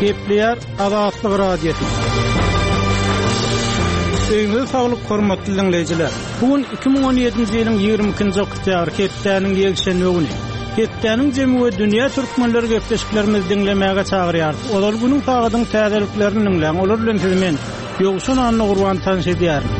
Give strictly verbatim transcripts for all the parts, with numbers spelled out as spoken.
Gepleýär Azatlyk Radiosy. Öýüňize saglyk hormatly dinleýjiler. Bu gün iki müň on ýedinji ýylyň ýigrimi ikinji oktýabr hepdäniň ýekşenbe güni. Hepdäniň jemi we dünýä türkmenleri gepleşiklerimizi diňlemäge çagyrýarys. Ozal günüň sagadyň täzeliklerini diňläň. Olar bilen sizi men Ýowşan Anna Gurban tanyş edýärin.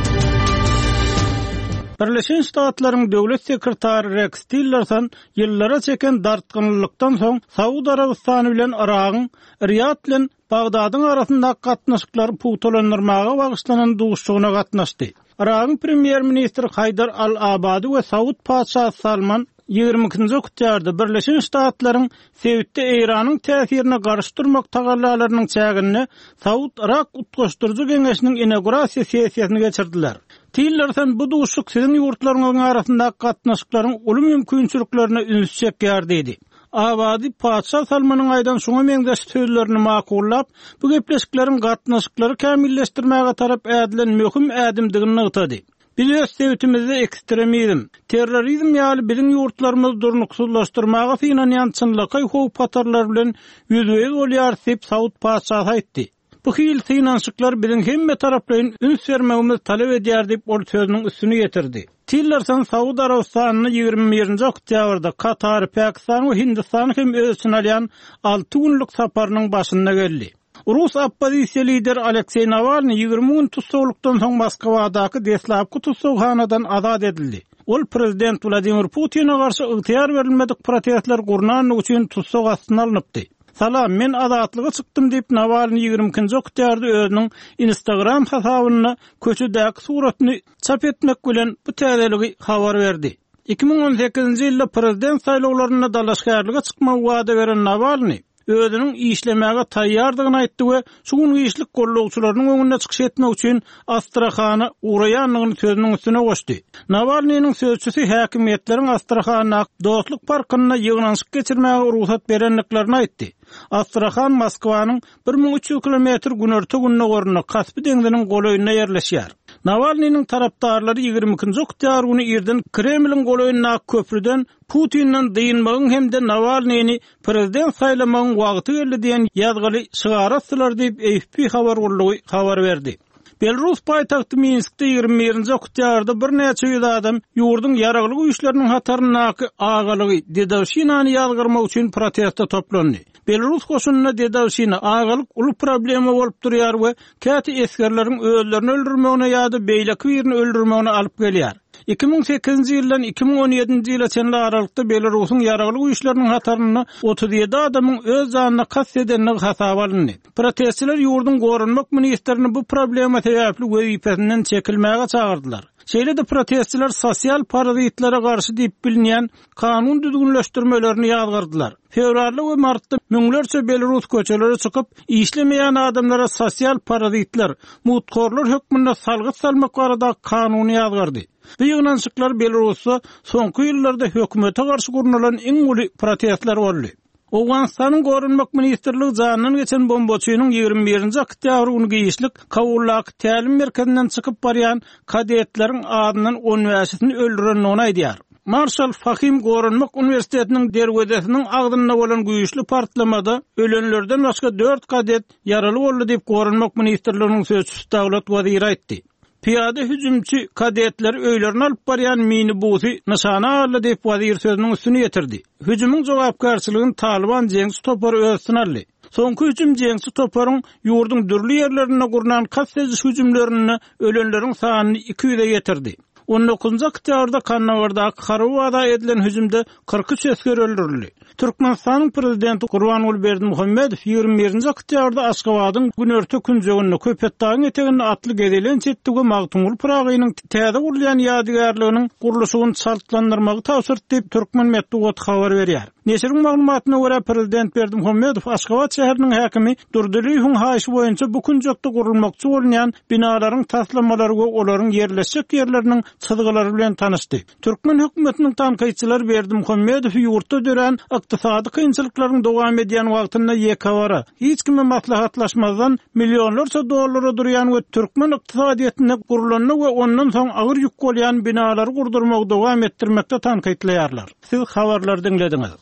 Birleşen Ştatlaryň döwlet sekretary Rex Tillerson ýyllara çeken dartgynlykdan soň Saud Arabystany bilen Yragyň Riyad bilen Bagdadyň arasyndaky gatnaşyklary pugtalandyrmaga bagyşlanan duşuşygyna gatnaşdy. Yragyň premýer-ministri Haýdar Al-Abadi we Saud patyşasy Salman ýigrimi ikinji oktýabrda Birleşen Ştatlaryň sebitde Eýranyň täsirine garşy durmak tagallalarynyň çäginde Saud-Yrak utgaşdyryjy geňeşiniň inaugurasiýa sessiýasyny geçirdiler. Tillerson bu duşuşyk siziň ýurtlaryňyzyň arasyndaky gatnaşyklaryň uly mümkinçiliklerine üns çekýär diýdi. Abadi patyşa Salmanyň aýdan şoňa meňzeş sözlerini makullap, bu gepleşikleriň gatnaşyklary kämilleşdirmäge tarap ädilen möhüm ädimdigini nygtady. Biz öz sebitimizde ekstremizm, terrorizm ýaly biziň ýurtlarymyzy durnuksyzlaşdyrmaga synanýan çynlakaý howp hatarlar bilen ýüzbe-ýüz bolýar diýip Saud patyşasy aýtdy. Bu hil synanyşyklar biziň hemme taraplaýyn üns bermegimizi talap edýär diýip ol sözüniň üstüni ýetirdi. Tillerson Saud Arabystanyny ýigrimi birinji oktýabrda Katar, Pakistan we Hindistan hem öz içine alýan alty günlük saparynyň başynda geldi. Rus oppozisiýa lideri Alekseý Nawalny ýigrimi gün tussaglykdan soň Moskwadaky deslapky tussaghanadan azat edildi. Ol prezident Wladimir Putin'e garşy ygtyýar berilmedik protestler gurnanlygy üçin tussag astyna alnypdy. Salam, men azatlyga çykdym diýip Nawalny ýigrimi ikinji oktýabrda özüniň Instagram hasabynda köçedäki suratyny çap etmek bilen bu täzeligi habar berdi. Iki müň on sekizinji ýylda prezident saýlawlarynda dalaşgärlige çykmagy wada beren Nawalny özüniň işlemäge taýýardygyny aýtdy we şu gün işlik gollagçylarynyň öňünde çykyş etmek üçin Astrahana ugraýandygyny sözüniň üstüne goşdy. Nawalnynyň sözçüsi häkimiýetleriň Astrahana Dostluk parkynda ýygnanyşyk geçirmäge rugsat berendiklerini aýtdy. Astrahan Moskwanyň bir müň üç ýüz kilometr günorta gündogarynda Kaspi deňziniň golaýynda ýerleşýär. Nawalnynyň tarapdarlary ýigrimi ikinji oktýabr güni irden Kremliň golaýyndaky köprüden Putinden dynmagyň hem-de Nawalnyny prezident saýlamagyň wagty geldi diýen ýazgyly şygar atdylar diýip A F P habar gullugy habar berdi. Belarus paýtagty Minskde ýigrimi birinji oktýabrda birnäçe ýüz adam ýurduň ýaragly güýçleriniň hataryndaky agalygy Dedowşinany ýazgyrmak üçin proteste toplandy. Belarus goşunynda Dedowşina agalyk uly problema bolup durýar we käte esgerleriň özlerini öldürmegine ýa-da beýleki birini öldürmegine alyp gelýär. Iki müň sekizinji ýyldan iki müň on ýedinji ýyla çenli aralykda Belarusyň ýaragly güýçleriniň hatarynda otuz ýedi adamyň öz janyna kast edendigi hasaba alyndy. Protestçiler ýurduň goranmak ministrini bu problema sebäpli wezipesinden çekilmäge çagyrdylar. Şeýle-de protestçiler sosial parazitlere garşy diýip bilinýän kanun düzgünleşdirmelerini ýazgardylar. Fewralda we martda müňlerçe Belarus köçelere çykyp, işlemeýän adamlara sosial parazitler, mutkorlar hökmünde salgyt salmak barada kanuny ýazgardy. Bu ýygnanyşyklar Belarusda soňky ýyllarda hökümete garşy gurnalan iň uly protestler boldy. Owganystanyň Goranmak ministrligi jandan geçen bombaçynyň ýigrimi birinji oktýabr güni giýişlik Kabuldaky tälim merkezinden çykyp barýan kadetleriň adyndan on bäşisini öldürendigini aýdýar. Marşal Fahim Goranmak Uniwersitetiniň derwezesiniň agzynda bolan güýçli partlamada ölenlerden başga dört kadet ýaraly boldy diýip Goranmak ministrliginiň sözçüsi Dawlat Waziri aýtdy. Piyade hüjümçi kadetleri öýlerine alyp barýan minibusy nyşana aldy diýip wazir sözüniň üstüni ýetirdi. Hüjümiň jogapkärçiligini Taliban jeňçi topary öz üstüne aldy. Soňky hüjüm jeňçi toparyň ýurduň dürli ýerlerinde gurnan kast ediş hüjümlerinde ölenleriň sanyny iki ýüze ýetirdi. On dokuzunjy oktýabrda Kandahardaky harby baza edilen hüjümde kyrk üç esger öldürildi. Türkmenistanyň prezidenti Gurbanguly Berdimuhamedow ýigrimi birinji oktýabrda Aşgabadyň günorta künjeginde Köpetdagyň eteginde atly gezelenç etdi we Magtymguly Pyragynyň täze gurulýan ýadygärliginiň gurluşygyny çaltlandyrmagy tabşyrdy diýip Türkmen metbugaty habar berýär. Neşiriň maglumatyna görä prezident Berdimuhamedow Aşgabat şäheriniň häkimi Durdylyýewiň haýyşy boýunça bu künjekde gurulmakçy bolunýan binalaryň taslamalary we olaryň ýerleşjek ýerleriniň çyzgylary bilen tanyşdy. Türkmen hökümetiniň tankytçylary Berdimuhamedow ýurtda dörän ykdysady kynçylyklaryň dowam edýän wagtynda ýekewara, hiç kime maslahatlaşmazdan millionlarça dollara durýan we türkmen ykdysadyýetinde gurulanda we ondan soň agyr ýük bolýan binalary gurdurmagy dowam etdirmekde tankytlaýarlar. Siz habarlary diňlediňiz.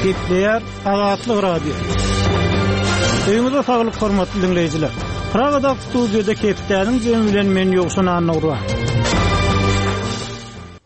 Gepleýär Azatlyk Radio. Öýüňize saglyk hormatly diňleýjiler. Pragadaky studiýada hepdäniň jemi bilen men Ýowşan Annagurban.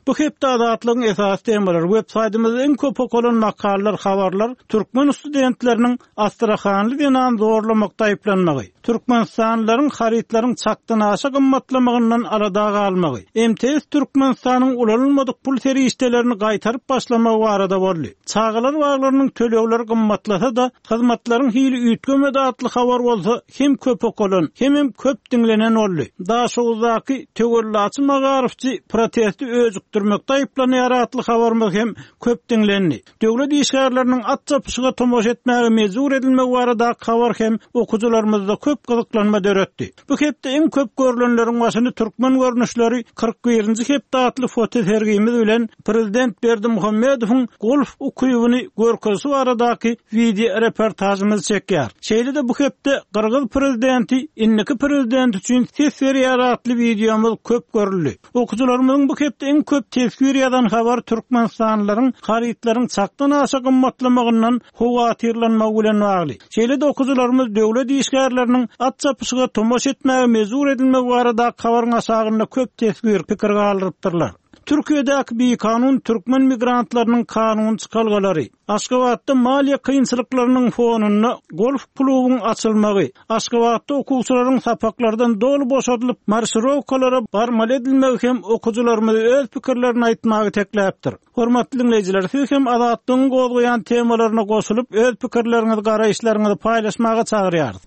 Bu hepde Azatlygyň esasy temalary web saýtymyzda iň köp okalan makalalar, habarlar türkmen studentleriniň Astrahanly zenan zorlamakda aýyplanmagy, Türkmenistanlylaryň harytlaryň çakdan aşa gymmatlamagyndan alada galmagy, M T S Türkmenistanyň ulanylmadyk pul serişdelerini gaýtaryp başlamagy barada boldy. Çagalar baglarynyň tölegleri gymmatlasa-da, hyzmatlaryň hili üýtgemedi atly habar bolsa hem köp okalan, hemem köp diňlenen boldy. Daşoguzdaky töwellaçy magaryfçy protesti öjükdirmekde aýyplanýar atly habarymyz hem köp diňlendi. Döwlet işgärleriniň at çapyşyga tomaşa etmäge mejbur edilmegi baradaky habar hem okyjylarymyzda köp gyzyklanma döretdi. Bu hepde iň köp görülenleriň başyny türkmen görnüşleri kyrk birinji hepde atly fotosergimiz bilen Prezident Berdimuhamedowyň golf ukybyny görkezişi baradaky wideo reportajymyz çekýär. Şeýle-de bu hepde Gyrgyz prezidenti indiki prezident üçin ses berýär atly wideomyz köp görüldi. Okyjylarymyzyň bu hepde iň köp teswir ýazan habar Türkmenistanlylaryň harytlaryň çakdan aşa gymmatlamagyndan howatyrlanmagy bilen bagly. Şeýle-de okyjylarymyz döwlet işgärleriniň at çapyşyga tomaşa etmäge mejbur edilmegi baradaky habaryň aşagynda köp teswir pikir galdyrypdyrlar. Türkiýedäki bikanun türkmen migrantlarynyň kanun çykalgalary, Aşgabatda maliýe kynçylyklarynyň fonunda golf klubuň açylmagy, Aşgabatda okuwçylaryň sapaklardan doly boşadylyp marşirowkalara barmaly edilmegi hem okyjylarymyzy öz pikirlerini aýtmaga itekläpdir. Hormatly diňleýjiler, siz hem Azatlygyň gozgaýan temalaryna goşulyp öz pikirleriňizi, garaýyşlaryňyzy paýlaşmaga çagyrýarys.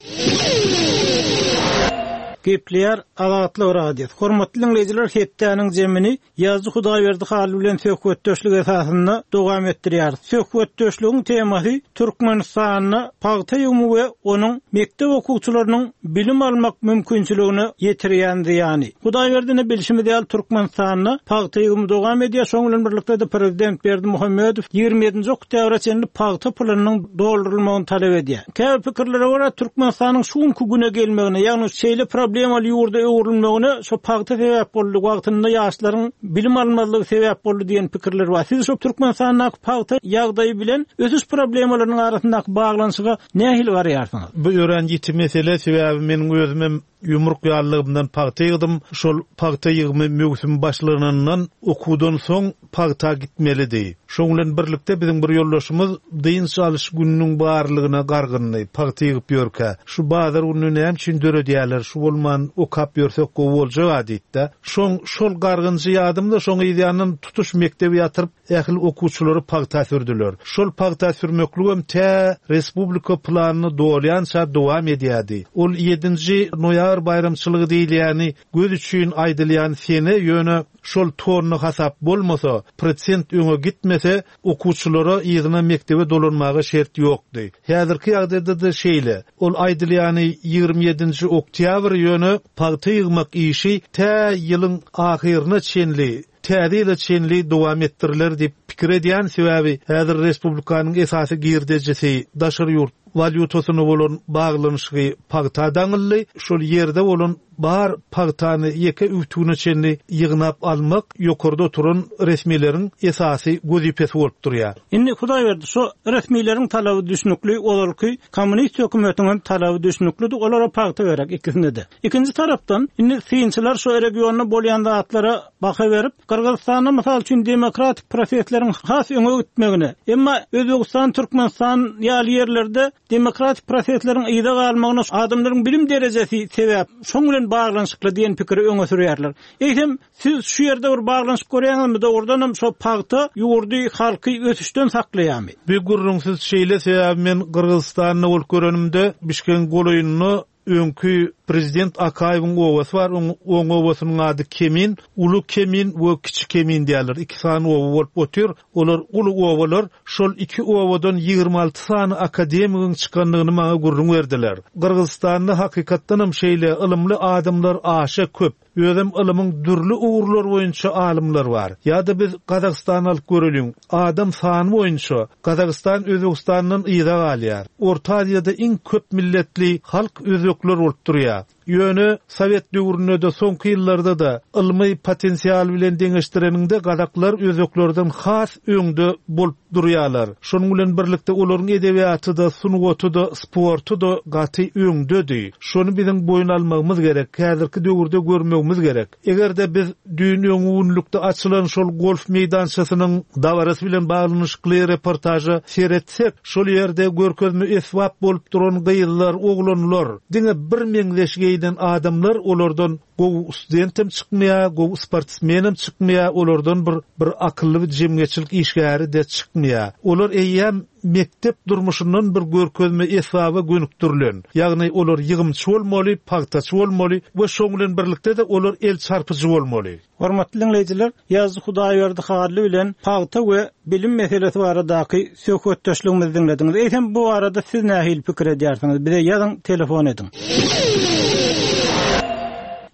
Gepleýär Azatlyk Radiosy. Hormatly diňleýjiler, hepdäniň jemini Ýazyjy Hudaýberdi Hally bilen söhbetdeşlik esasynda dowam etdirýäris. Söhbetdeşligiň temasy Türkmenistanda pagta ýygymy we onuň mekdep okuwçylarynyň bilim almak mümkinçiligine ýetirýän zyýany. Hudaýberdini bilşimiz ýaly Türkmenistanda pagta ýygymy dowam edýär. Şonuň bilen birlikde prezident Berdimuhamedow ýigrimi ýedinji oktýabra çenli pagta pulunyň doldurylmagyny talap edýär. Käbir pikirlere görä Türkmenistanyň şu günki güne gelmegine, ýagny şeýle problemaly ýurda öwrülmegine şu pagta sebäp boldy, wagtynda ýaşlaryň bilim almazlygy sebäp boldy diýen pikirler bar. Siz şu Türkmenistandaky pagta ýagdaýy bilen ösüş problemalarynyň arasyndaky baglanyşyga nähili garaýarsyňyz? Bu öwren ýiti mesele, sebäbi meniň özümem ýumruk ýalylygymdan pagta ýygdym. Şol pagta ýygymy möwsüm başlanandan okuwdan soň pagta gitmelidi. Şoň bilen birlikde biziň bir ýoldaşymyz dynç alyş gününiň barlygyna gargyndy, pagta ýygyp ýörkä. Şu bazar gününi näme üçin döredýärler, şu bolman okap ýörsek gowy boljak aditde. Şoň şol gargynjy ýadymda şoň ýanyndan tutuş mekdebi ýatyryp ähli okuwçylary pagta sürdüler. Şol pagta sürmekligem tä respublika planyny dolýança dowam edýärdi. Ol ýedinji noýabr baýramçylygy diýilýäni göz üçin aýdylýan sene ýöne şol tonna hasap bolmasa, prosent öňe gitmese, okuwçylara ýygyna mekdebe dolanmaga şert ýokdy. Häzirki ýagdaýda-da şeýle. Ol aýdylýany ýigrimi ýedinji oktýabr ýöne pagta ýygmak işi tä ýylyň ahyryna çenli, täze ýyla çenli dowam etdiriler diýip pikir edýän, sebäbi häzir respublikanyň esasy girdejisi daşary ýurt walýutasyna bolan baglanyşygy pagta daňyldy. Şol ýerde bolan bar pagtany ýeke üwtügine çenli ýygnap almak ýokarda oturan resmileriň esasy wezipesi bolup durýar. Indi Hudaýberdi, şu resmileriň talaby düşnükli, ozalky kommunist hökümetiniň hem talaby düşnüklidi, olara pagta gerek ikisinde-de. Ikinji tarapdan, indi synçylar şu regionda bolýan zatlara baha berip, Gyrgyzystanda mysal üçin demokratik prosesleriň has öňe gitmegine, emma Özbegistan, Türkmenistan ýaly ýerlerde demokratik prosesleriň yza galmagyna adamlaryň bilim derejesi sebäp, şoň bilen baglanyşykly diýen pikiri öňe sürýärler. Eýsem, siz şu ýerde bir baglanyşyk görýäňizmi, dogrudan hem şo pagta ýurdy halky ösüşden saklaýarmy? Bir gürrüňsiz şeýle, sebäbi men Gyrgyzystanda bolup görenimde Bişkegiň golaýynda öňki prezident Akaýewiň obasy bar, oň, oň obasynyň ady Kemin, Ulu Kemin we Kiçi Kemin diýerler. Iki sany oba bolup otyr. Olar ulu obalar. Şol iki obadan ýigrimi alty sany akademigiň çykandygyny maňa gürrüň berdiler. Gyrgyzystanda hakykatdan hem şeýle ylymly adamlar aşa köp. Özem ylymyň dürli ugurlar boýunça alymlar bar. Ýa-da biz Gazagystany alyp göreliň. Adam sany boýunça Gazagystan Özbegistandan yza galýar. Orta Aziýada iň köp milletli halk özbekler bolup durýar. Ýöne Sowet döwründe-de soňky ýyllarda-da ylmy potensial bilen deňeşdireniňde gazaklar özbeklerden has öňde bolup durýarlar. Şonuň bilen birlikde olaryň edebiýaty-da, sungaty-da, sporty-da gaty öňdedi. Şony biziň boýun almagymyz gerek, häzirki döwürde görmegimiz gerek. Eger-de biz düýn öňňünlikde açylan şol golf meýdançasynyň dabarasy bilen baglanyşykly reportaža seretsek, şol ýerde görkezme esbap bolup duran gyzlar, oglanlar, diňe bir meňzeş geýnen adamlar olardan gowy studentem çykmaýar, gowy sportsmenem çykmaýar, olardan bir bir akylly bir jemgyýetçilik işgäri de çykmaýar. Olar eýýäm mektep durmuşyndan bir görkezme esbaba gönükdirilen. Ýagny olar ýygymçy bolmaly, pagtaçy bolmaly we şoň bilen birlikde de olar el çarpyjy bolmaly. Hormatly dinleýjiler, Ýazdy Hudaýberdi Hally bilen pagta we bilim meselesi baradaky söhbetdeşligimizi diňlediňiz. Eýsem bu barada siz nähili pikir edýärsiňiz? Bize ýazyň, telefon ediň.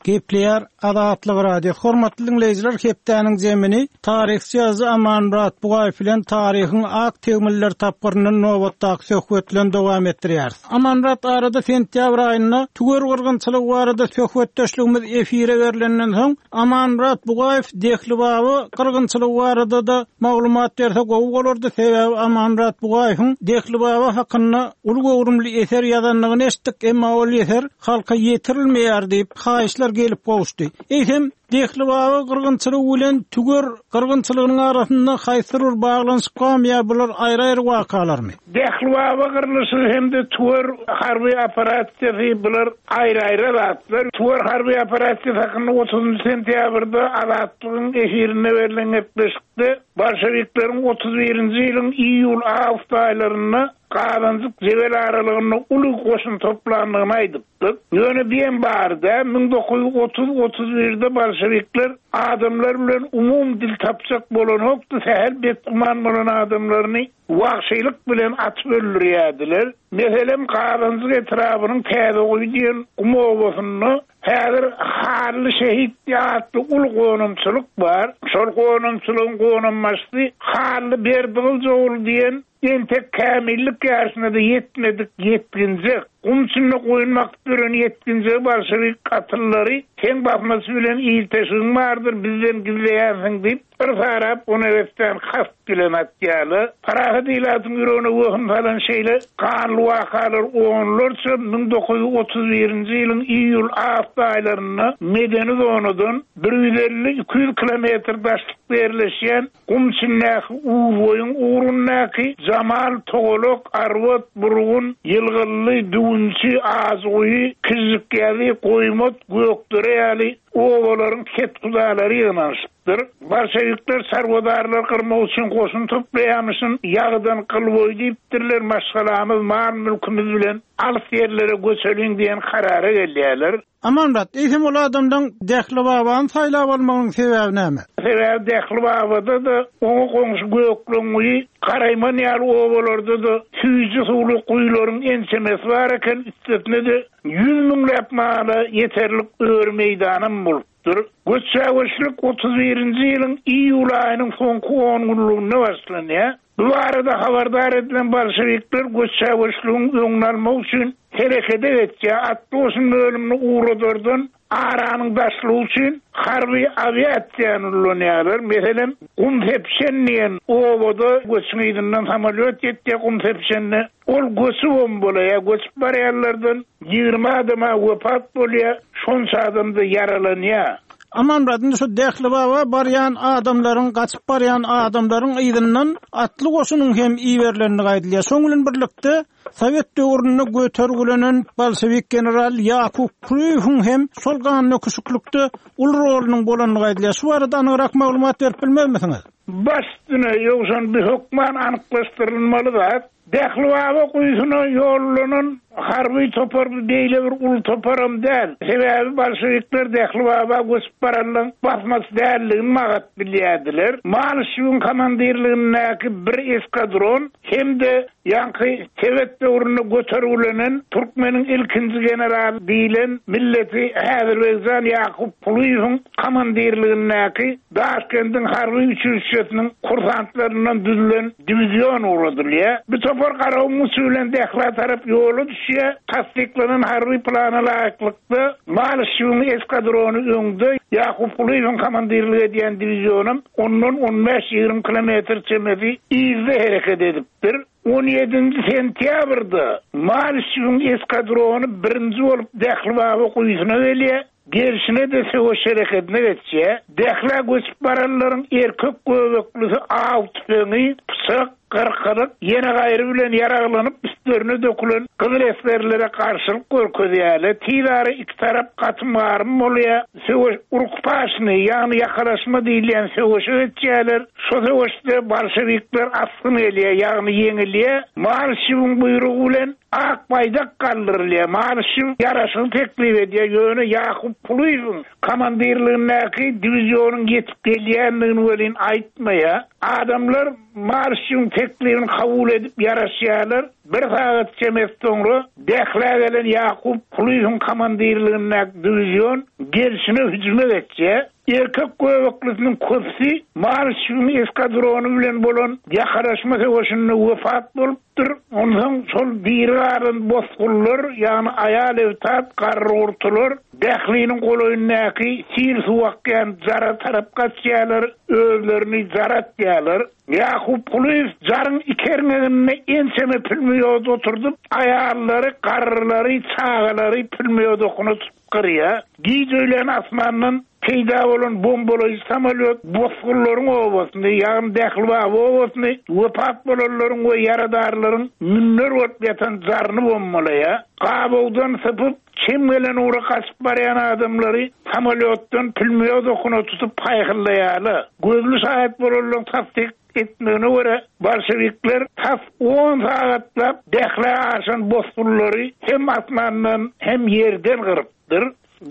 Gepleýär Azatlyk Radio. Hormatly dinleýjiler, hepdäniň zemini taryhçy ýazyjy Amanmyrat Bugaýew bilen taryhyň ak tegmiller tapgyryndan nobatdaky söhbet bilen dowam etdirýäris. Amanmyrat arada sentýabr aýynda tüwer gyrgynçylygy barada söhbetdeşligimiz efire berilenden soň Amanmyrat Bugaýew Dehli Baba gyrgynçylygy barada da maglumat berse gowy bolardy. Sebäbi Amanmyrat Bugaýewiň Dehli Baba hakynda uly göwrümli eser ýazandygyny eşitdik, emma ol eser halka ýetirilmeýär diýip haýyşlar gelip gowuşdy. Eýsem Dehli Baba gyrgynçylygy bilen tüwer gyrgynçylygynyň arasynda haýsy bir baglanyşyk barmy ýa bular aýry-aýry wakalarmy? Dehli Baba gyrlyşy hem-de tüwer harby operasiýasy bular aýry-aýry zatlar. Tüwer harby operasiýasy hakynda otuzunjy sentýabrda Azatlygyň efirinde berlen gepleşikde Bolşewikleriň otuz birinji ýylyň iýul-awgust aýlarynda Gazanjyk Jebel aralygynda uly goşun toplandygyny aýdypdyk. Ýöne bilen barda müň dokuz ýüz otuz otuz birde bolşevikler adamlar bilen umum dil tapjak bolan hokdy, sähel betguman bolan adamlaryny wagşylyk bilen atyp öldürýärdiler. Meselem, Gazanjyk etrabynyň Täzeguýy diýen gum obasynda häzir Hally şehit atly uly gonamçylyk bar. Şol gonamçylygyň gonambaşysy Hally Berdigylyjoğlu diýen entek kämillik ýaşyna da ýetmedik ýetginjek, gum içinde goýun bakyp ýören ýetginjek bolşewik gatyllary seň basmasy bilen ilteşigiň bardyr, bizden gizleýänsiň diýip, bir sarap ona westan kast bilen atýarlar. Parahat ilatyň ýüregine wehim salan şeýle ganly wakalar onlarça müň dokuz ýüz otuz birinji ýylyň iýul-awgust aýlarynda medeni zonadan bir ýüz elli iki ýüz kilometr daşlykda ýerleşýän gum içindäki Uzboýuň ugrundaky Jamal, Togolok, Arwat, Burgun, Ýylgylly, Düwünçi, Azguýy, Kijikýazy, Goýmat, Gökdere ýaly obalaryň ketkudalary ýygnanyşypdyr. Bolşevikler çarwadarlar gyrmak üçin goşun toplaýamyşyn, ýagdan gyl boý diýipdirler, maşgalamyz, mal mülkümüz bilen alys ýerlere göçeliň diýen karara gelýärler. Amanmyrat, eýsem ol adamdan Dehli Babany saýlap almagyň sebäbi näme? Sebäbi Dehli Babada da oňa goňşy Gökleňguýy, Garaýman ýaly obalarda da süýji suwly guýularyň ençemesi bar eken, üstesine de ýüz müňläp mala ýeterlik öri meýdanam bolupdyr. Göçäweşlik otuz birinji ýylyň iýul aýynyň soňky on günlüginde başlanýar. Bu barada habardar edilen bolşevikler göçäweşligiň öňüni almak üçin herekete geçýär. Atly goşun bölümini ugradardan aranyň daşlygy üçin harby awiasiýany ulanýarlar. Meselem, gum sepşen diýen obada göçüň yzyndan samolýot ýetýär gum sepşende. Ol göçi bombalaýar, göçüp barýanlardan ýigrimi adama wepat bolýar, şonça adam da ýaralanýar. Amanmyrat, indi şu Dehli Baba barýan adamlaryň, gaçyp barýan adamlaryň yzyndan atly goşunyň hem iberilendigi aýdylýar. Şoň bilen birlikde Sowet döwründe götergilenen bolşewik general Ýakup Kulyýewiň hem şol ganly küçüklükde uly rolunyň bolandygy aýdylýar. Şu barada anygrak maglumat berip bilmezmisiňiz? Baş üstüne ýogşan bir hökman anyklaşdyrylmaly zat. Dehli Baba guýusyna ýollanan harby topar beýle bir uly toparam däl. Sebäbi bolşevikler Dehli Baba göçüp baranlaryň basmasy dälligini magat bilýärdiler. Malyşewiň komandirligindäki bir eskadron hem-de ýaňky Sowet döwründe götergilenen Türkmeniň ilkinji generaly diýlen milleti Azerbaýjan Ýakup Kulyýewiň komandirligindäki Daşkendiň harby uçilişesiniň kursantlaryndan düzülen diwizion ugradylýar. Bu topar Garagumuň içi bilen Dählä tarap ýola düşýär. Tassyklanan harby plana laýyklykda, Malyşewiň eskadrony öňde, Ýakup Kulyýewiň komandirlik edýän diwizionam ondan on bäş-ýigrimi kilometr çemesi yzda hereket edipdir. On ýedinji sentýabrda Malyşewiň eskadrony birinji bolup Dählibaba guýusyna gelýär. Gelşine-de söweş hereketine geçýär. Dählä göçüp baranlaryň erkek göbeklisi aw tüpeňi, pyçak, gyrkylyk, ýene gaýry bilen ýaraglanyp üstlerine dökülen gyzyl esgerlere garşylyk görkezýärler. Tiz ara iki tarap gatym-garym bolýar. Söweş urukpaşny, ýagny ýakalaşma diýilýän söweşe geçýärler. Şo söweşde bolşewikler asgyn gelýär, ýagny ýeňilýär. Malyşewiň buýrugy bilen ak baýdak galdyrylýar. Malyşew ýaraşygy teklip edýär, ýöne Ýakup Kulyýewiň komandirligindäki diwizionyň ýetip gelýändigini welin aýtmaýar. Adamlar Malyşewiň teklibini kabul edip ýaraşýarlar. Bir sagat çemesi soňra Dählä gelen Ýakup Kulyýewiň komandirligindäki diwizion gelşine hüjüme geçýär. Erkek göbeklisiniň köpüsi Malyşewiň eskadrony bilen bolan ýakalaşma söweşinde wepat bolupdyr. Onsoň şol diri galan bosgunlar, ýagny aýal ebtat, garry-gurtular Dähliniň golaýyndaky sil suw akýan jara tarap gaçýarlar, özlerini jara atýarlar. Ýakup Kulyýew jaryň iki erňeginde ençeme pülmýod oturdyp, aýallary, garrylary, çagalary pülmýod okuna tutup gyrýar. Giç öýlän asmandan peýda bolan bombalaýjy samolýot bosgunlaryň obasyny, ýagny Dählibaba obasyny, wepat bolanlaryň we ýaradarlaryň münler bolup ýatan jaryny bombalaýar. Gabawdan sypyp, çem gelen ugra gaçyp barýan adamlary samolýotdan pülmýod okuna tutup paýhyllaýarlar. Gözli şaýat bolanlaryň tassyk etmegine görä, bolşewikler tas on sagatlap Dählä aşan bosgunlary hem asmandan hem ýerden gyrypdyr.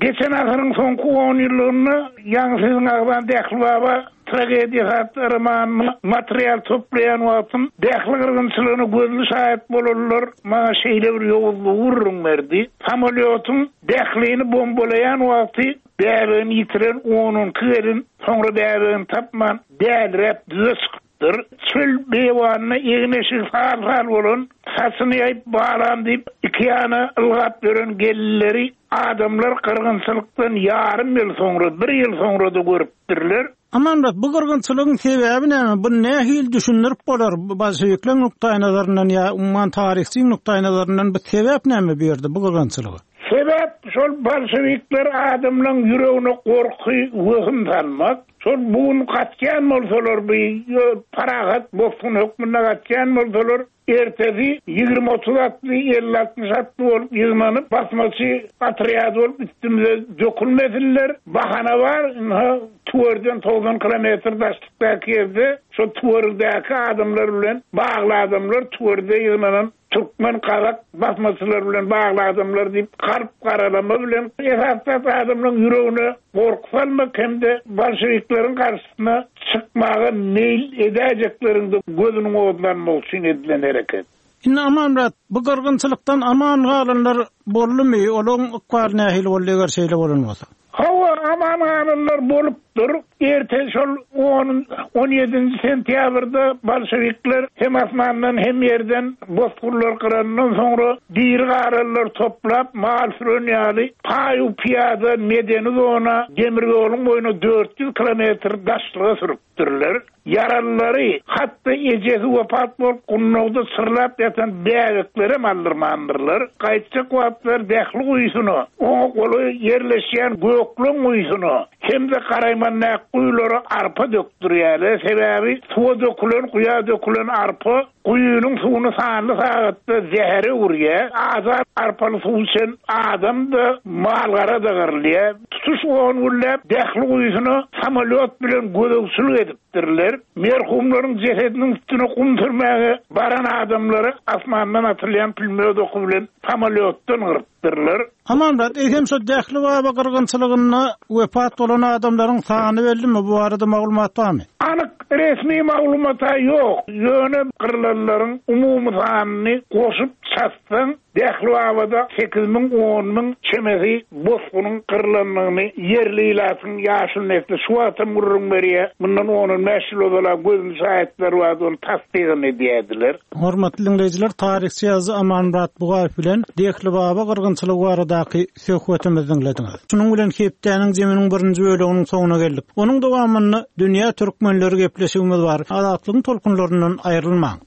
Geçen asyryň soňky on ýyllygynda ýaňy siziň agzan Dählibaba tragediýasy atly romanyna material toplaýan wagtym Dähli gyrgynçylygyna gözli şaýat bolanlar maňa şeýle bir ýowuzlygy gürrüň berdi. Samolýotyň Dählini bombalaýan wagty bäbegini ýitiren on iki gelin soňra bäbegini tapman däliräp düze çykypdyr. Çöl beýewanyna egin-eşigi sal-sal bolan, saçyny ýaýyp balam diýip iki ýana ylgap ýören gelinleri adamlar gyrgynçylykdan ýarym ýyl soňra, bir ýyl soňra da görüpdirler. Amanmyrat, bu gyrgynçylygyň sebäbi näme? Bu nähili düşündirip bolar? Bolşewikleriň nukdaýnazaryndan ýa umuman taryhçyň nukdaýnazaryndan bu sebäp näme bu ýerde bu gyrgynçylyga? Sebäp şol bolşewikler adamlaryň ýüregine gorky, wehim salmak. Şol bu gün gaçýan bolsalar, bu parahat bosgun hökmünde gaçýan bolsalar, ertesi ýigrimi otuz atly, elli altmyş atly bolup ýygnanyp, basmaçy otrýady bolup üstümize dökülmesinler. Bahana bar, ynha Tüwerden togsan kilometr daşlykdaky ýerde şol Tüwerdäki adamlar bilen bagly adamlar, Tüwerde ýygnanan türkmen, kazak basmaçylar bilen bagly adamlar diýip kalp garalama bilen esasda adamlaryň ýüregine gorky salmak hem-de bolşewikleriň garşysyna çykmaga meýil edäýjekleriň de gözüniň odlanmak üçin edilen hereket. Indi Amanmyrat, bu gyrgynçylykdan aman galanlar boldumy? Olaryň ykbaly nähili boldy eger şeýle bolan bolsa? Hawa, aman galanlar bolupdyr. Erte şol on, on ýedinji sentýabrda bolşewikler hem asmandan hem ýerden bosgunlar gyrandan soňra diri galanlar toplap mal süren ýaly paýu piýada medeni zona demir ýoluň boýuna dört ýüz kilometr daşlyga sürüpdirler. Ýaralylary, hatda ejesi wepat bolup gundagda çyrlap ýatan bäbeklerem aldyrmandyrlar. Gaýtjak wagtlar Dähli guýusyna, oňa golaý ýerleşýän Gökleň guýusyna hem-de Garaýmandak guýulara arpa dökdürýärler. Sebäbi suwa dökülen, guýa dökülen arpa guýunyň suwuny sanly sagatda zähere öwürýär. Azat arpaly suw içen adam da malgara da gyrylýar. Tutuş on günläp Dähli guýusyna samolýot bilen gözegçilik edipdirler. Merhumlaryň jesediniň üstüne gum sürmäge baran adamlary asmandan atylýan pülmýod oky bilen samolýotdan gyrypdyrlar. Amanmyrat, eýsem şo Dählibaba gyrgynçylygynda wepat bolan adamlaryň sany bellimi? Bu barada maglumat barmy? Anyk resmi maglumata ýok. Ýöne gyrlanlaryň umumy sanyny goşup Çatsaň, Dehlibabada sekiz müň, on müň çemesi bosgunyň gyrlandygyny ýerli ilatyň ýaşuly nesli şu wagtam gürrüň berýär. Mundan on-on bäş ýyl ozal-a gözli şaýatlar bardy, ony tassygyny edýärdiler. Hormatly diňleýjiler, taryhçy ýazyjy Amanmyrat Bugaýew bilen Dehlibaba gyrgynçylygy baradaky söhbetimizi diňlediňiz. Şunuň bilen hepdäniň zeminiň birinji böleginiň soňuna geldik. Onuň dowamynda dünýä türkmenleri gepleşigimiz bar. Azatlygyň tolkunlaryndan aýrylmaň.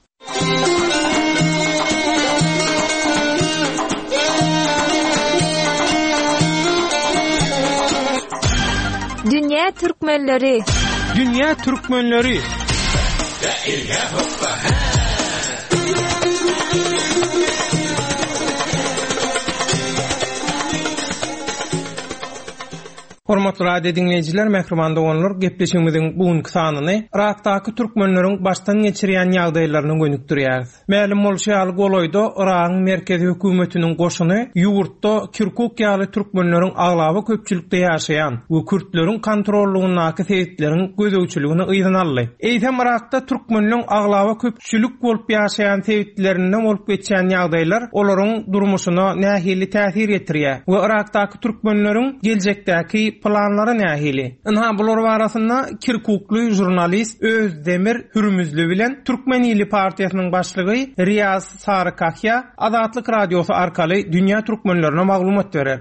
Dünýä türkmenleri. Dünýä türkmenleri. Hormatly radio dinleýjiler, mähriban doganlar, gepleşigimiziň bu günki sanyny Irakdaky türkmenleriň başdan geçirýän ýagdaýlaryny gönükdirýäris. Mälim bolşy ýaly golaýda Iragyň merkezi hökümetiniň goşuny ýurtda Kirkuk ýaly türkmenleriň aglaba köpçülikde ýaşaýan we kürtleriň kontrollugyndaky sebitleriň gözegçiligini yzyna aldy. Eýsem Irakda türkmenleriň aglaba köpçülik bolup ýaşaýan sebitlerinde bolup geçýän ýagdaýlar olaryň durmuşyna nähili täsir ýetirýär we Irakdaky türkmenleriň geljekdäki planlary nähili? Ynha bular barasynda Kirkukly jurnalist Özdemir Hürmüzli bilen Türkmen Milli Partiýasynyň başlygy Riýaz Sarykahya Azatlyk Radiosy arkaly dünýä türkmenlerine maglumat berer.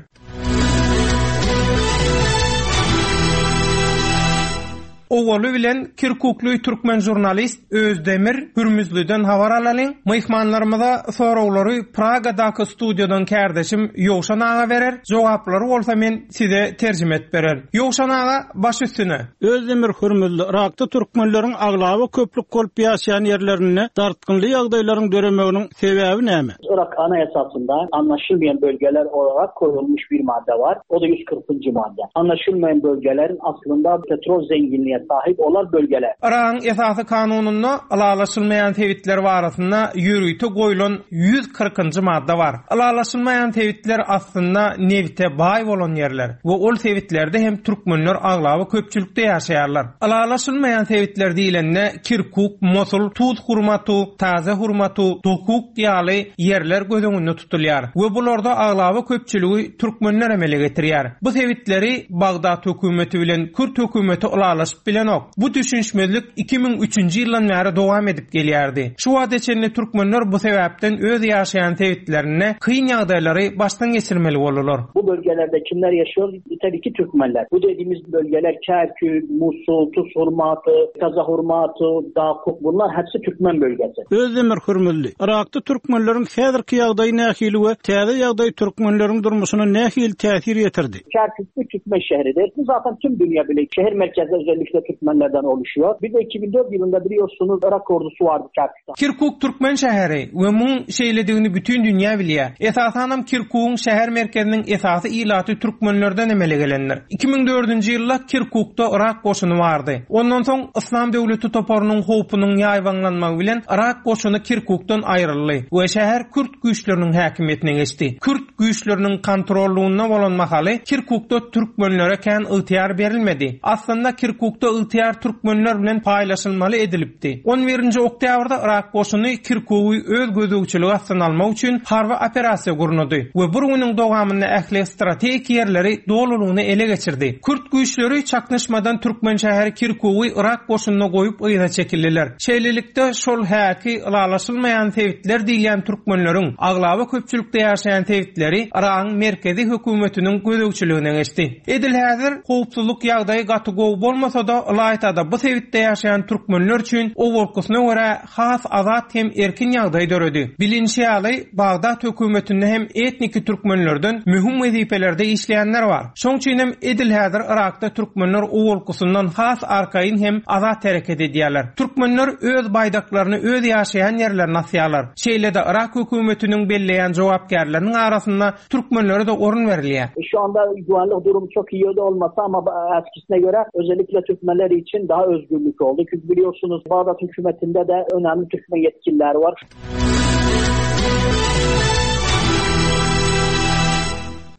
Owaly bilen Kirkukly türkmen jurnalist Özdemir Hürmüzlüden habar alalyň. Myhmanlarymyza soraglary Pragadaky studiýadan kärdeşim Ýowşan aga berer. Jogaplary bolsa men size terjime etip berer. Ýowşan aga, baş üstüne. Özdemir Hürmüzli Irakda türkmenleriň aglaba köplük bolup ýaşaýan ýerlerinde dartgynly ýagdaýlaryň döremeginiň sebäbi näme? Irak anayasasında anlaşılmayan bölgeler olarak koyulmuş bir madde var. O da yüz kırkıncı madde. Anlaşılmayan bölgelerin aslında petrol zenginliğe sahip olan bölgeler. Irak'ın esasy kanununda ylalaşylmaýan sebitler barasynda ýörite goýulan ýüz kyrkynjy madde bar. Ylalaşylmaýan sebitler aslynda nebite baý bolan ýerler we ol sebitlerde hem türkmenler aglaba köpçülikde ýaşaýarlar. Ylalaşylmaýan sebitler diýilende Kirkuk, Mosul, Tuz Hurmatu, Taze Hurmatu, Dokuk ýaly ýerler göz öňünde tutulýar we bularda aglaba köpçüligi türkmenler emele getirýär. Bu sebitleri Bagdat hökümeti bilen Kürt hökümeti ylalaşyp bilenok. Bu düşünişmezlik iki müň üçünji ýyldan bäri dowam edip gelýärdi. Şu wagta çenli türkmenler bu sebäpden öz ýaşaýan sebitlerinde kyn ýagdaýlary başdan geçirmeli boldular. Bu bölgelerde kimler yaşıyor? Tabii ki Türkmenler. Bu dediğimiz bölgeler Kerkük, Musul, Tuz Hurmatı, Taza Hurmatı, Dakuk, bunlar hepsi Türkmen bölgesi. Özdemir Hürmüzli, Irakda türkmenlerin häzirki ýagdaýy nähili we täze ýagdaý türkmenlerin durmuşyna nähili täsir ýetirdi? Kerkük bir Türkmen şehridir. Bu zaten tüm dünya bile şehir merkezleri özellikle Türkmenlerden oluşuyor. Bir de iki bin dört yılında biliyorsunuz Irak ordusu vardı Kerkük'te. Kirkuk Türkmen şehri we muň şeýledigini bütün dünýä bilýär. Esasanam Kirkuk'un şäher merkeziniň esasy ilaty türkmenlerden emele gelendir. iki müň dördünji ýylda Kirkuk'da Irak goşuny bardy. Ondan soň Islam döwleti toparynyň howpunyň ýaýbaňlanmagy bilen Irak goşuny Kirkuk'dan aýryldy we şäher Kürt güýçleriniň häkimiýetine geçdi. Kürt güýçleriniň kontrollugynda bolan mahaly Kirkuk'da türkmenlere kän ygtyýar berilmedi. Aslynda Kirkuk'da ygtyýar türkmenler bilen paýlaşylmaly edilipdi. on birinji oktýabrda Irak goşuny Kirkugy öz gözegçiligi astyna almak üçin harby operasiýa gurnady we bir günüň dowamynda ähli strategik ýerleri dolulygyny ele geçirdi. Kürt güýçleri çaknyşmadan türkmen şäheri Kirkugy Irak goşunyna goýup yza çekildiler. Şeýlelikde şol häki ylalaşylmaýan sebitler diýilýän türkmenleriň aglaba köpçülikde ýaşaýan sebitleri Iragyň merkezi hökümetiniň gözegçiligine geçdi. Edil häzir howpsuzlyk ýagdaýy gaty gowy bolmasa da ylaýtada bu sebitde ýaşaýan türkmenler üçin owalkysyna görä has azat hem erkin ýagdaý döredi. Bilinçi ýaly Bagdat hökümetinde hem etniki türkmenlerden möhüm wezipelerde işleýänler bar. Şoň üçin hem edil häzir Irakda türkmenler owalkysyndan has arkaýyn hem azat hereket edýärler. Türkmenler öz baýdaklaryny öz ýaşaýan ýerlerine asýarlar. Şeýle-de Irak hökümetiniň belleýän jogapkärleriniň arasynda türkmenlere de orun berilýär. Şu anda güvenlik durumu çok iyi de olmasa ama eskisine göre özellikle Türkmenler için daha özgürlük oldu. Çünkü biliyorsunuz Bağdat hükümetinde de önemli Türkmen yetkililer var.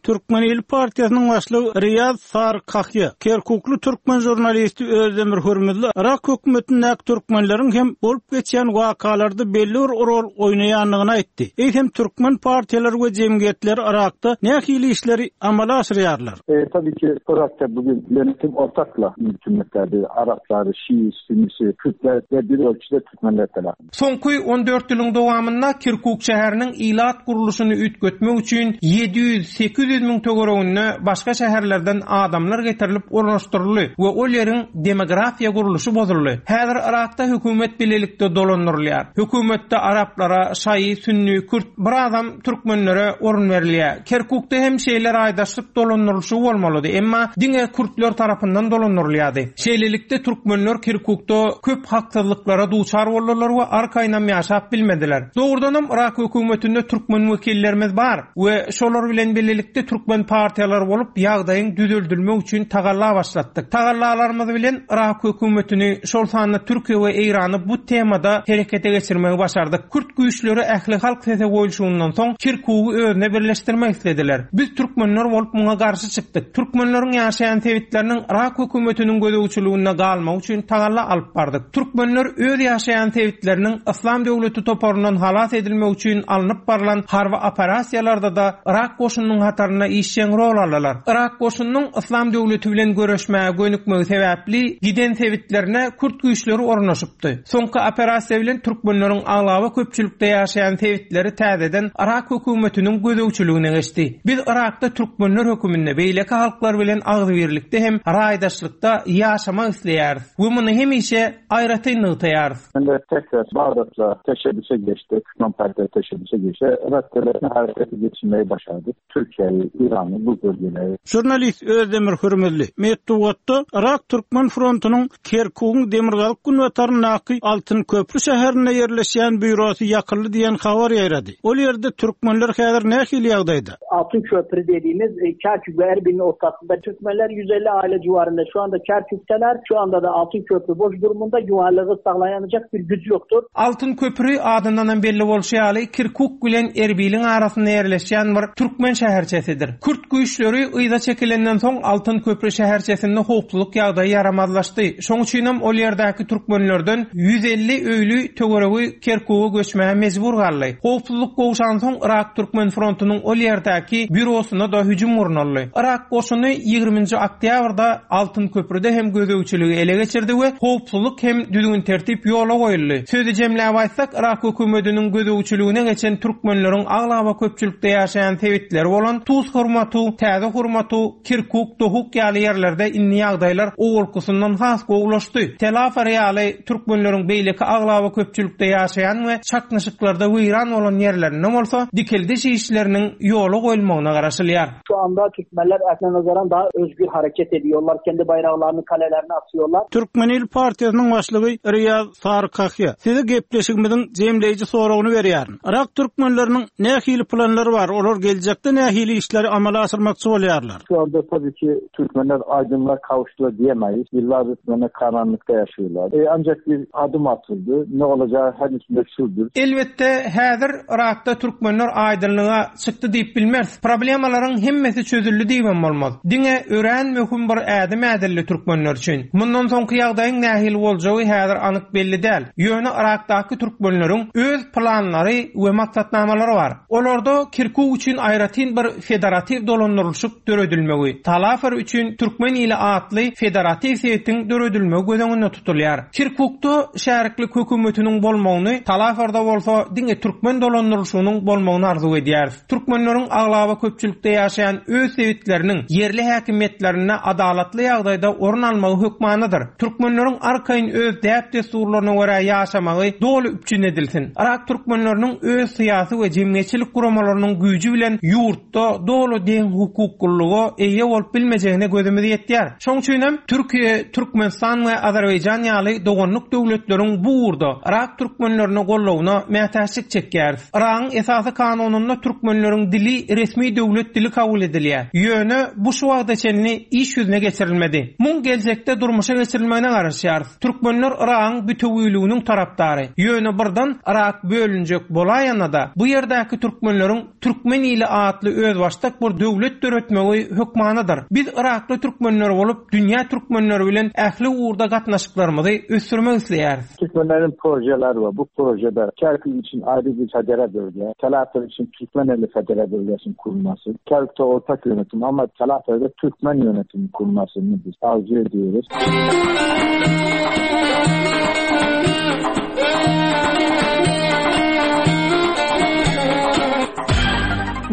Türkmen ili partiýasynyň başlygy Riýaz Sarkahýa, Kerkukly türkmen žurnalisti Özdemir Hürmüzli Irak hökümetindäki türkmenleriň hem bolup geçýän wakalarda belli bir rol oýnaýandygyny aýtdy. Eýsem türkmen partiýalary we jemgyýetleri Irakda nähili işleri amala aşyrýarlar? E, tabii ki Irak'ta bugün yönetim ortakla yürütülmektedir. Araplar, Şii, Sünnisi, Kürtler ve bir ölçüde Türkmenler tarafından. Soňky on dört ýylyň dowamynda Kirkuk şäheriniň ilat gurluşyny üýtgetmek üçin ýedi ýüz sekiz ýüz müň töwereginde başga şäherlerden adamlar getirilip ornaşdyryldy we ol ýeriň demografiýa gurluşy bozuldy. Häzir Irakda hökümet bilelikde dolandyrylýar. Hökümetde araplara, şaýy, sünni, kürt, bir adam türkmenlere orun berilýär. Kerkukda hem şeýle raýdaşlyk dolandyrylyşy bolmalydy, emma diňe kürtler tarapyndan dolandyrylýardy. Şeýlelikde türkmenler Kerkukda köp haksyzlyklara duçar boldular we arkaýynam ýaşap bilmediler. Dogrudanam Irak hökümetinde türkmen wekillerimiz bar we şolar bilen birlikde türkmen partiýalary bolup ýagdaýyň düzeldilmek üçin tagalla başlatdyk. Tagallalarymyz bilen Irak hökümetini şol sanda Türkiýe we Eýrany bu temada herekete geçirmegi başardyk. Kürt güýçleri ähli halk sese goýulşyndan soň Kirkugy özüne birleşdirmek islediler. Biz türkmenler bolup muňa garşy çykdyk. Türkmenleriň ýaşaýan sebitleriniň Irak hökümetiniň gözegçiliginde galmak üçin tagalla alyp bardyk. Türkmenler öz ýaşaýan sebitleriniň Islam döwleti toparyndan halas edilmek üçin alnyp barlan harby operasiýalarda da Irak goşunynyň hatarynda işjeň rol aldylar. Irak goşunynyň Islam döwleti bilen göreşmäge gönükmegi sebäpli giden sebitlerine kürt güýçleri ornaşypdy. Soňky operasiýa bilen türkmenleriň aglaba köpçülikde ýaşaýan sebitleri täzeden Irak hökümetiniň gözegçiligine geçdi. Biz Irakda türkmenler höküminde beýleki halklar bilen agzybirlikde hem raýdaşlykda ýaşamak isleýäris we muny hemişe aýratyn nygtaýarys. Hem tekrar Bağdat'la teşebbüse geçti, Türkmen Partileri teşebbüse geçti. Irak devletini harekete geçirmeyi başardık. Türkiye'yi, İran'ı, bu bölgeleri. Jurnalist Özdemir Hürmüzli, Metbugatda Irak Türkmen frontunyň Kerkugyň Demirgazyk günbataryndaky Altyn Köprü şäherinde ýerleşýän býurosy ýakyldy diýen habar ýaýrady. Ol ýerde türkmenler häzir nähili ýagdaýda? Altın Köprü dediğimiz e, Kerkük ve Erbil'in ortasında Türkmenler yüz elli aile civarında şu anda Kerkük'teler. Şu anda da Altın Köprü boş durumunda, güvenliği sağlayanacak bir gücü yoktur. Altın Köprü adyndan belli bolşy ýaly Kirkuk bilen Erbil'in arasynda ýerleşýän bir türkmen şäherçesidir. Kürt güýçleri yza çekilenden soň Altın Köprü şäherçesinde howpsuzlyk ýagdaýy ýaramazlaşdy. Şoň üçin hem ol ýerdäki türkmenlerden ýüz elli öýli töweregi Kerkuga göçmäge mejbur galdy. Howpsuzlyk gowşan soň Irak Türkmen frontunyň ol ýerdäki býurosyna da hüjüm gurnaldy. Irak goşuny ýigriminji oktýabrda Altın Köprüde hem gözegçiligi ele geçirdi we howpsuzlyk hem düzgün tertip ýola goýuldy. Sözi jemläp aýtsak, Irak hökümetiniň gözegçiligine geçen türkmenleriň aglaba köpçülikde ýaşaýan sebitleri bolan Tuz Hurmatu, Täze Hurmatu, Kirkuk, Dohuk ýaly ýerlerde indi ýagdaýlar owalkysyndan has gowulaşdy. Telafar ýaly türkmenleriň beýleki aglaba köpçülikde ýaşaýan we çaknyşyklarda weýran bolan ýerlerinde bolsa dikildiş işleriniň ýola goýulmagyna garaşylýar. Şu anda Türkmenler eskine nazaran daha özgür hareket ediyorlar. Kendi bayraklarını kalelerine asıyorlar. Türkmen Il Partiýasynyň başlygy Riýaz Sarkahýa size gepleşigimiziň jemleýji soragyny berýär. Irak türkmenleriniň nähili planlary bar? Olar geljekde nähili işleri amala aşyrmakçy bolýarlar? Şu anda tabii ki Türkmenler aydınlığa kavuştular diyemeyiz. Yıllardır Türkmenler karanlıkta yaşıyorlar. E, ancak bir adım atıldı. Ne olacağı henüz meçhuldür. Elbetde häzir Irakda türkmenler aydınlığa çykdy diýip bilmez. Problemalaryň hemmesi çözüldi diýibem bolmaz. Diňe ören möhüm bir ädim ädildi türkmenler üçin. Mundan soňky ýagdaýyň nähili boljagy häzir anyk belli däl. Ýöne Irakdaky türkmenleriň öz planlary we maksatnamalary bar. Olarda Kirkuk üçin aýratyn bir federatiw dolandyrylyşyk döredilmegi, Talafer üçin Türkmen ili atly federatiw sebitiň döredilmegi göz öňünde tutulýar. Kirkukda şäriklik hökümetiniň bolmagyny, Talaferda bolsa diňe türkmen dolandyrylyşynyň bolmagyny arzuw edýäris. Türkmenleriň aglaba köpçülikde ýaşaýan öz sebitleriniň ýerli häkimiýetlerinde adalatly ýagdaýda orun almagy hökmanydyr. Türkmenleriň arkaýyn öz däp-dessurlaryna görä ýaşamagy doly üpjün edilsin. Irak türkmenleriniň öz syýasy we jemgyýetçilik guramalarynyň güýji bilen ýurtda doly deň hukuklylyga eýe bolup bilmejegine gözümiz ýetýär. Şoň üçin hem Türkiýe, Türkmenistan we Azerbaýjan ýaly doganlyk döwletleriň bu ugurda Irak türkmenlerine goldawyna mätäçlik çekýäris. Iragyň esasy kanunynda türkmenleriň dili resmi döwlet dili kabul edilýär. Ýöne bu şu wagta çenli iş ýüzüne geçirilmedi. Muň geljekde durmuşa geçirilmegine garaşýarys. Türkmenler Iragyň bütewüliginiň tarapdary. Ýöne birden Irak bölünjek bolaýanda da bu ýerdäki türkmenleriň Türkmen ili atly özbaşdak özbaşdak bir döwlet döretmegi hökmanydyr. Biz Yrakly türkmenler bolup, dünýä türkmenleri bilen ähli ugurda gatnaşyklarymyzy ösdürmek isleýäris. Türkmenlerin projeleri var. Bu projede Kerkük için ayrı bir federe bölge, Telafer için Türkmeneli federe bölgesinin kurulması, Kerkük'te ortak yönetim ama Telafer'de Türkmen yönetimi kurulmasını biz arzu ediyoruz.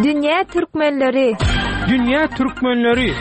Dünýä türkmenleri. Dünýä türkmenleri.